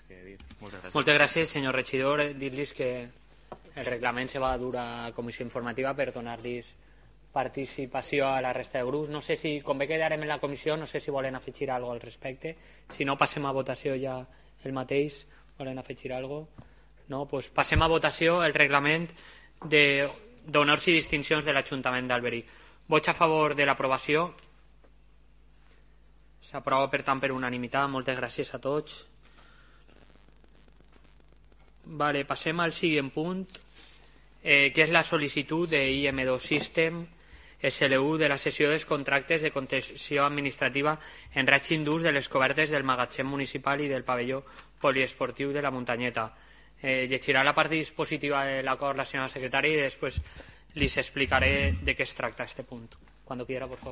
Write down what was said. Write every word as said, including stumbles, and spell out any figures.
que dir. Moltes gràcies. Moltes gràcies, senyor regidor. Dir-los que el reglament se va dur a comissió informativa per donar-los participació a la resta de grups. No sé si, com bé quedarem en la comissió, no sé si volen afegir alguna cosa al respecte. Si no, passem a votació ja el mateix. Volen afegir alguna cosa? No? Pues passem a votació el reglament d'honors i distincions de l'Ajuntament d'Alberic. Vots a favor de l'aprovació. S'aprova, per tant, per unanimitat. Moltes gràcies a tots. Vale, passem al següent punt, eh, que és la sol·licitud de I M dos System S L U de la cessió dels contractes de concessió administrativa en règim d'ús de les cobertes del magatzem municipal i del pavelló poliesportiu de la Muntanyeta. Eh, llegirà la part dispositiva de l'acord la senyora secretària i després li explicaré de què es tracta este punt. Cuando quiera, por favor.